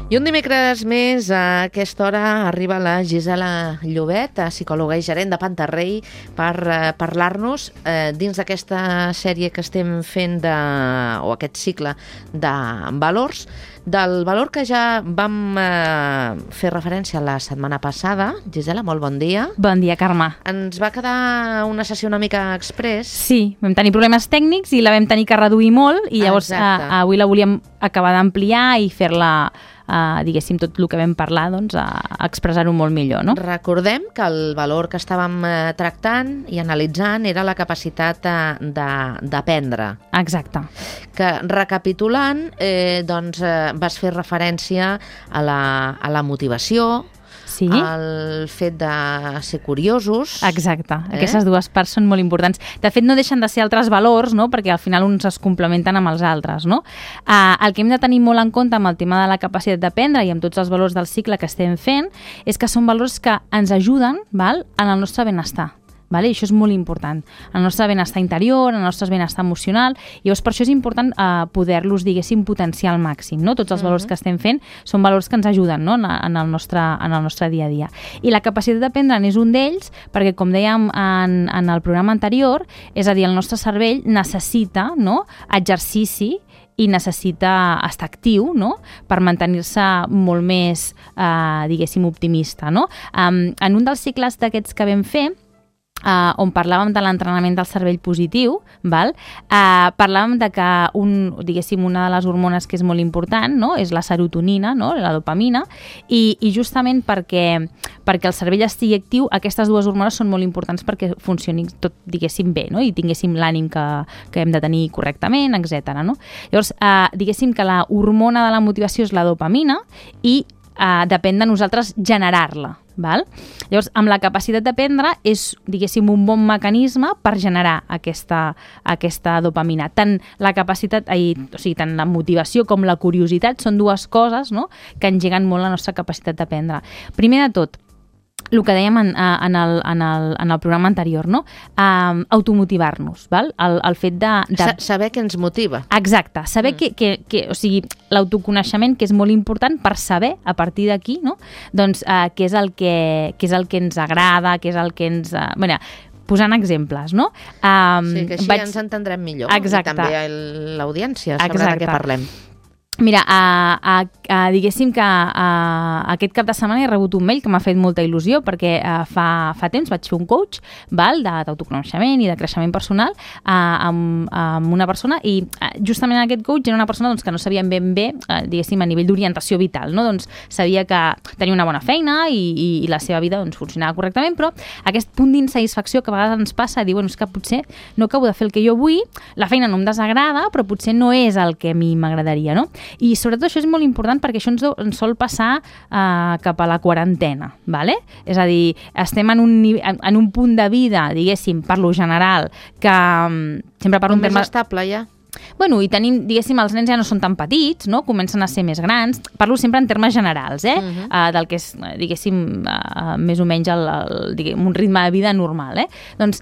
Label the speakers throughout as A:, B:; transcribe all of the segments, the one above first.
A: I un dimecres més, a aquesta hora, arriba la Gisela Llobet, psicòloga i gerent de Pantarrei, per parlar-nos dins d'aquesta sèrie que estem fent, o aquest cicle de valors, del valor que ja vam fer referència la setmana passada. Gisela, molt bon dia.
B: Bon dia, Carme.
A: Ens va quedar una sessió una mica express.
B: Sí, vam tenir problemes tècnics i la vam tenir que reduir molt i llavors avui la volíem acabar d'ampliar i fer-la, diguéssim, tot el que vam parlar, doncs, expressar-ho molt millor, no?
A: Recordem que el valor que estàvem tractant i analitzant era la capacitat d'aprendre.
B: Exacte.
A: Que, recapitulant, doncs, vas fer referència a la motivació,
B: sí,
A: el fet de ser curiosos.
B: Exacte. Aquestes dues parts són molt importants. De fet, no deixen de ser altres valors, no? Perquè al final uns es complementen amb els altres, no? El que hem de tenir molt en compte amb el tema de la capacitat d'aprendre i amb tots els valors del cicle que estem fent és que són valors que ens ajuden, val, en el nostre benestar. Vale? I això és molt important. El nostre benestar interior, el nostre benestar emocional, i llavors per això és important poder-los, diguéssim, potenciar al màxim. No? Tots els valors que estem fent són valors que ens ajuden, no? en el nostre dia a dia. I la capacitat d'aprendre és un d'ells perquè, com dèiem en el programa anterior, és a dir, el nostre cervell necessita, no, exercici i necessita estar actiu, no?, per mantenir-se molt més, diguéssim, optimista. No? En un dels cicles d'aquests que vam fer, on parlàvem de l'entrenament del cervell positiu, val? Parlàvem de que diguéssim, una de les hormones que és molt important, no?, és la serotonina, no?, la dopamina, i justament perquè el cervell estigui actiu, aquestes dues hormones són molt importants perquè funcioni tot, diguéssim, bé, no?, i tinguéssim l'ànim que hem de tenir correctament, etc. No? Llavors, diguéssim que la hormona de la motivació és la dopamina i depèn de nosaltres generar-la. Val? Llavors, amb la capacitat d'aprendre és, diguéssim, un bon mecanisme per generar aquesta dopamina. Tant la capacitat, o sigui, tant la motivació com la curiositat són dues coses, no?, que engeguen molt la nostra capacitat d'aprendre. Primer de tot, el que dèiem en el programa anterior, no? Automotivar-nos, val? El fet de...
A: Saber què ens motiva.
B: Exacte, saber o sigui, l'autoconeixement, que és molt important per saber, a partir d'aquí, no?, doncs, què és el que ens agrada, què és el que ens... posant exemples, no?
A: Sí, que així ens entendrem millor.
B: Exacte.
A: I també l'audiència sabrà de què parlem.
B: Mira, diguéssim que aquest cap de setmana he rebut un mail que m'ha fet molta il·lusió perquè fa temps vaig fer un coach, val, d'autoconeixement i de creixement personal amb una persona, i justament aquest coach era una persona, doncs, que no sabia ben bé, diguéssim, a nivell d'orientació vital, no? Doncs sabia que tenia una bona feina i la seva vida, doncs, funcionava correctament, però aquest punt d'insatisfacció que a vegades ens passa, diu, bueno, és que potser no acabo de fer el que jo vull, la feina no em desagrada, però potser no és el que a mi m'agradaria, no? I sobretot això és molt important perquè això ens sol passar cap a la quarantena, ¿vale? És a dir, estem en un punt de vida, diguéssim, per lo general, que sempre parlo en termes...
A: més estable, ja.
B: Bueno, i tenim, diguéssim, els nens ja no són tan petits, no? Comencen a ser més grans. Parlo sempre en termes generals, del que és, diguéssim, més o menys un ritme de vida normal, Doncs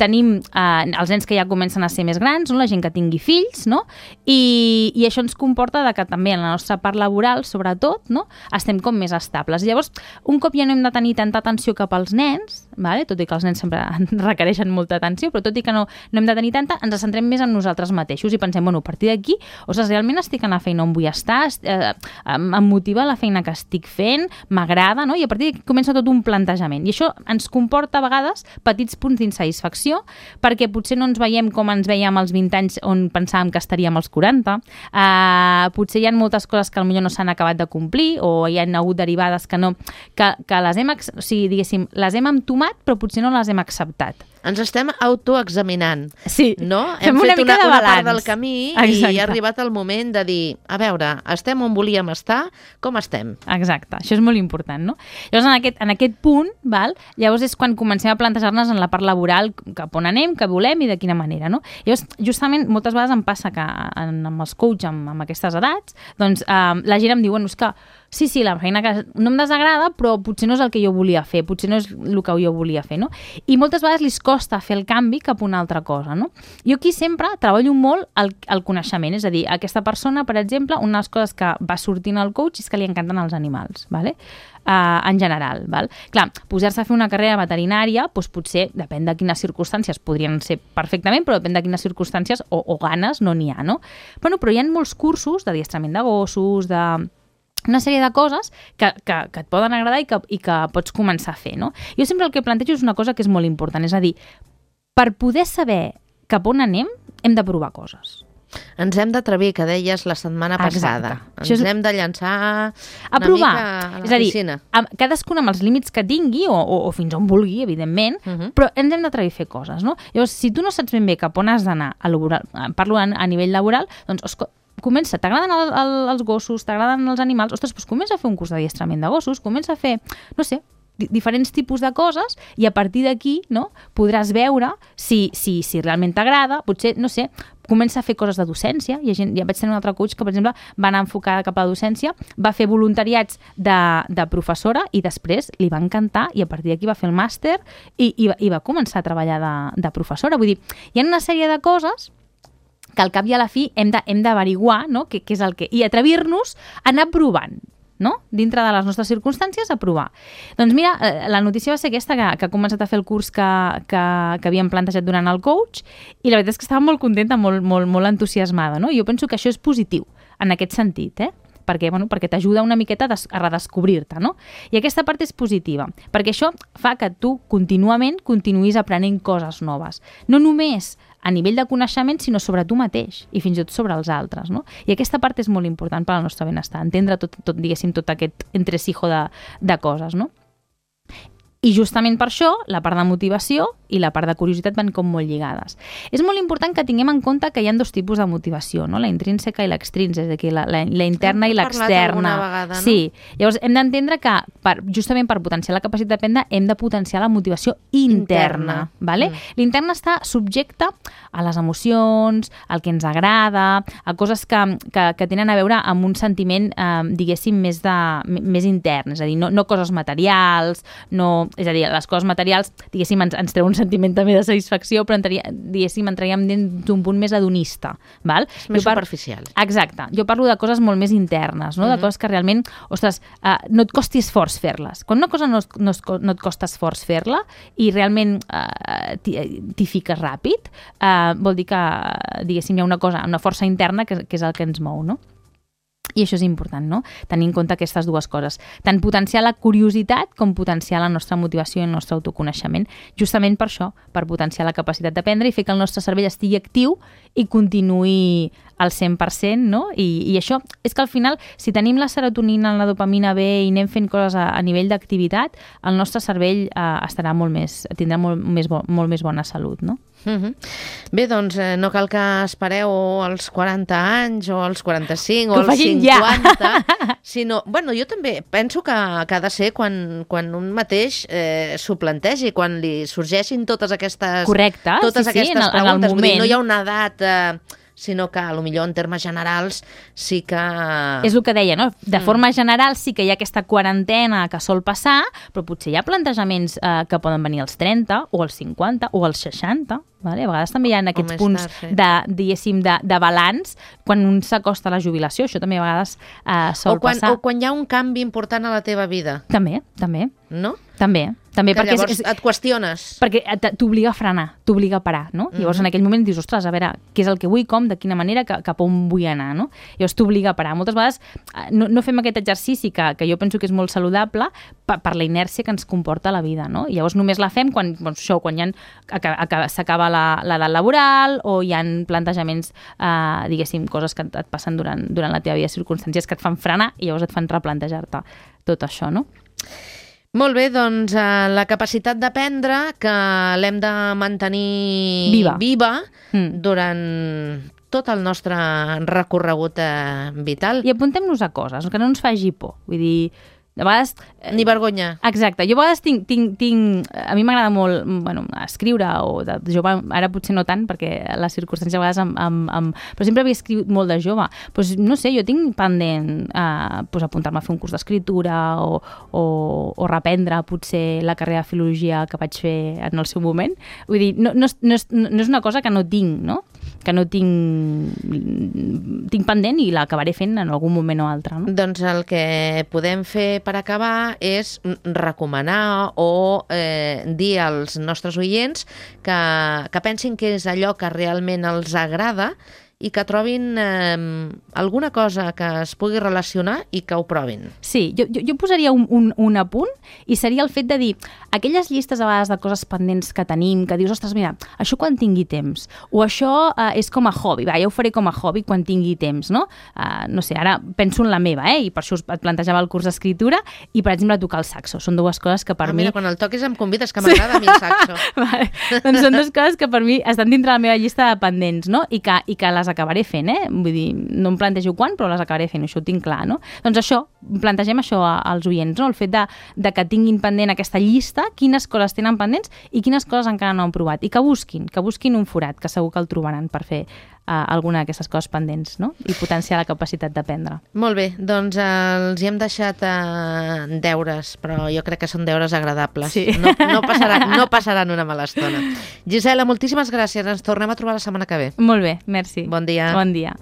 B: tenim els nens que ja comencen a ser més grans, no? La gent que tingui fills, no? I això ens comporta que també en la nostra part laboral, sobretot, no?, estem com més estables. Llavors, un cop ja no hem de tenir tanta atenció cap als nens, vale? Tot i que els nens sempre requereixen molta atenció, però tot i que no hem de tenir tanta, ens centrem més en nosaltres mateixos i pensem, bueno, a partir d'aquí, ostres, realment estic en la feina on vull estar, em motiva la feina que estic fent, m'agrada, no? I a partir d'aquí comença tot un plantejament. I això ens comporta a vegades petits punts d'insatisfacció, perquè potser no ens veiem com ens veiem als 20 anys on pensàvem que estaríem als 40, potser hi ha moltes coses que potser no s'han acabat de complir, o hi ha hagut derivades que les hem, o sigui, diguéssim, les hem entomat, però potser no les hem acceptat.
A: Ens estem autoexaminant,
B: sí,
A: no? Hem fet una part del camí. Exacte. I ha arribat el moment de dir, a veure, estem on volíem estar, com estem?
B: Exacte, això és molt important, no? Llavors, en aquest punt, val, llavors és quan comencem a plantejar-nos en la part laboral cap on anem, què volem i de quina manera, no? Llavors, justament, moltes vegades em passa que amb els coach, amb aquestes edats, doncs la gent em diu, bueno, és que sí, la feina que no em desagrada, però potser no és el que jo volia fer, potser no és el que jo volia fer, no? I moltes vegades li costa costa fer el canvi cap a una altra cosa, no? Jo aquí sempre treballo molt el coneixement, és a dir, aquesta persona, per exemple, una de les coses que va sortint al coach és que li encanten els animals, ¿vale? En general. Val? Clar, posar-se a fer una carrera veterinària, doncs potser, depèn de quines circumstàncies, podrien ser perfectament, però depèn de quines circumstàncies o ganes no n'hi ha, no? Bueno, però hi ha molts cursos d'adiestrament de gossos, una sèrie de coses que et poden agradar i que pots començar a fer, no? Jo sempre el que plantejo és una cosa que és molt important, és a dir, per poder saber cap on anem, hem de provar coses.
A: Ens hem d'atrevir, que deies la setmana passada. Ens hem de llançar
B: a provar.
A: Mica a la piscina.
B: És a dir, cadascun amb els límits que tingui o fins on vulgui, evidentment, però ens hem d'atrevir a fer coses, no? Llavors, si tu no saps ben bé cap on has d'anar, parlo a nivell laboral, doncs comença, t'agraden els gossos, t'agraden els animals, ostres, doncs comença a fer un curs d'adiestrament de gossos, comença a fer, no sé, diferents tipus de coses i a partir d'aquí, no, podràs veure si realment t'agrada, potser, no sé, comença a fer coses de docència. Ja vaig tenir un altre coach que, per exemple, va anar enfocada cap a la docència, va fer voluntariats de professora i després li va encantar i a partir d'aquí va fer el màster i va començar a treballar de professora. Vull dir, hi ha una sèrie de coses que al cap i a la fi hem d'averiguar, no? Què és el que... I atrevir-nos a anar provant, no? Dintre de les nostres circumstàncies, a provar. Doncs mira, la notícia va ser aquesta, que ha començat a fer el curs que havíem plantejat durant el coach i la veritat és que estava molt contenta, molt entusiasmada, no? Jo penso que això és positiu, en aquest sentit, perquè t'ajuda una miqueta a redescobrir-te, no? I aquesta part és positiva, perquè això fa que tu contínuament continuïs aprenent coses noves. No només a nivell de coneixement, sinó sobre tu mateix i fins i tot sobre els altres, no? I aquesta part és molt important per al nostre benestar, entendre diguéssim, tot aquest entresijo de coses, no? I justament per això, la part de motivació i la part de curiositat van com molt lligades. És molt important que tinguem en compte que hi ha dos tipus de motivació, no? La intrínseca i l'extrínseca, és a dir, la interna i l'externa.
A: Hem parlat alguna vegada, no?
B: Sí. Llavors, hem d'entendre que justament per potenciar la capacitat d'aprendre hem de potenciar la motivació interna. ¿Vale? L'interna està subjecte a les emocions, al que ens agrada, a coses que tenen a veure amb un sentiment, diguéssim, més intern, és a dir, no coses materials, és a dir, les coses materials, diguéssim, ens treu un sentiment també de satisfacció, però diguéssim, entraríem dins d'un punt més hedonista. Val?
A: És més superficial.
B: Exacte. Jo parlo de coses molt més internes, no? De coses que realment, ostres, no et costi esforç fer-les. Quan una cosa no et costa esforç fer-la i realment t'hi fiques ràpid, vol dir que, diguéssim, hi ha una força interna que és el que ens mou, no? I això és important, no? Tenir en compte aquestes dues coses. Tant potenciar la curiositat com potenciar la nostra motivació i el nostre autoconeixement. Justament per això, per potenciar la capacitat d'aprendre i fer que el nostre cervell estigui actiu i continuï al 100%, no? I això és que al final, si tenim la serotonina, la dopamina bé i anem fent coses a nivell d'activitat, el nostre cervell tindrà molt més bona salut, no?
A: Bé, doncs no cal que espereu als 40 anys o als 45 o als 50,
B: ja.
A: Sinó... Bueno, jo també penso que ha de ser quan un mateix s'ho plantegi, quan li sorgeixin totes aquestes,
B: correcte,
A: totes
B: sí,
A: aquestes
B: en el
A: preguntes.
B: moment.
A: Vull dir, no hi ha una edat... sinó que, potser en termes generals, sí que...
B: És el que deia, no? De forma general sí que hi ha aquesta quarantena que sol passar, però potser hi ha plantejaments que poden venir als 30, o als 50, o als 60, vale? A vegades també hi ha aquests punts diguéssim, de balanç quan un s'acosta a la jubilació. Això també a vegades sol passar.
A: O quan hi ha un canvi important a la teva vida.
B: També.
A: No?
B: També,
A: que
B: perquè
A: llavors et qüestiones.
B: Perquè t'obliga a frenar, t'obliga a parar, no? Llavors en aquell moment dius, ostres, a veure, què és el que vull, com, de quina manera, cap on vull anar, no? Llavors t'obliga a parar. Moltes vegades no fem aquest exercici que jo penso que és molt saludable per la inèrcia que ens comporta la vida, no? I llavors només la fem quan s'acaba l'edat laboral o hi ha plantejaments, diguéssim, coses que et passen durant la teva vida, circumstàncies que et fan frenar i llavors et fan replantejar-te tot això, no?
A: Molt bé, doncs la capacitat d'aprendre que l'hem de mantenir viva durant tot el nostre recorregut vital.
B: I apuntem-nos a coses, que no ens faci por. Vull dir, De vegades...
A: Ni vergonya.
B: Exacte. Jo a vegades a mi m'agrada molt, bueno, escriure, o de jove, ara potser no tant, perquè les circumstàncies a vegades però sempre havia escrit molt de jove. Pues, no sé, jo tinc pendent apuntar-me a fer un curs d'escriptura o reprendre potser la carrera de filologia que vaig fer en el seu moment. Vull dir, no és una cosa que no tinc, no? Que no tinc pendent i l'acabaré fent en algun moment o altre. No?
A: Doncs el que podem fer per acabar és recomanar o dir als nostres oients que pensin que és allò que realment els agrada i que trobin alguna cosa que es pugui relacionar i que ho provin.
B: Sí, jo posaria un apunt i seria el fet de dir aquelles llistes a vegades de coses pendents que tenim, que dius, ostres, mira, això quan tingui temps, o això és com a hobby, ja ho faré com a hobby quan tingui temps, no? No sé, ara penso en la meva, i per això et plantejava el curs d'escriptura i, per exemple, tocar el saxo. Són dues coses que per mi...
A: Mira, quan el toquis em convides, que m'agrada a mi el saxo.
B: Vale. Doncs són dues coses que per mi estan dintre la meva llista de pendents, no? I que les acabaré fent, Vull dir, no em plantejo quan, però les acabaré fent, això ho tinc clar, no? Doncs això, plantegem això als oients, no? El fet de que tinguin pendent aquesta llista, quines coses tenen pendents i quines coses encara no han provat. I que busquin un forat, que segur que el trobaran per fer alguna d'aquestes coses pendents, no? I potenciar la capacitat d'aprendre.
A: Molt bé, doncs els hi hem deixat deures, però jo crec que són deures agradables.
B: Sí.
A: No passaran una mala estona. Gisela, moltíssimes gràcies. Ens tornem a trobar la setmana que ve.
B: Molt bé, merci.
A: Bon dia.
B: Bon dia.